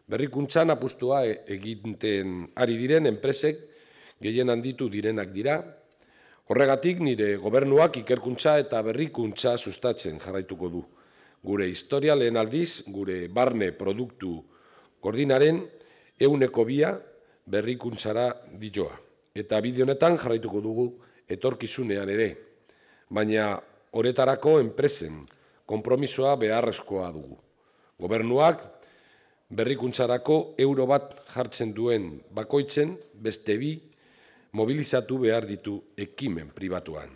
Berrikuntzan apustua egiten ari diren enpresek gehien handitu direnak dira. Horregatik nire gobernuak ikerkuntza eta berrikuntza sustatzen jarraituko du. Gure historia lehen aldiz, gure barne produktu gordinaren 2% berrikuntzara dioa. Eta bide honetan jarraituko dugu etorkizunean ere. Baina horretarako enpresen konpromisoa beharrezkoa dugu. Gobernuak berrikuntzarako euro bat jartzen duen bakoitzen beste 2 mobilizatu behar ditu ekimen pribatuan.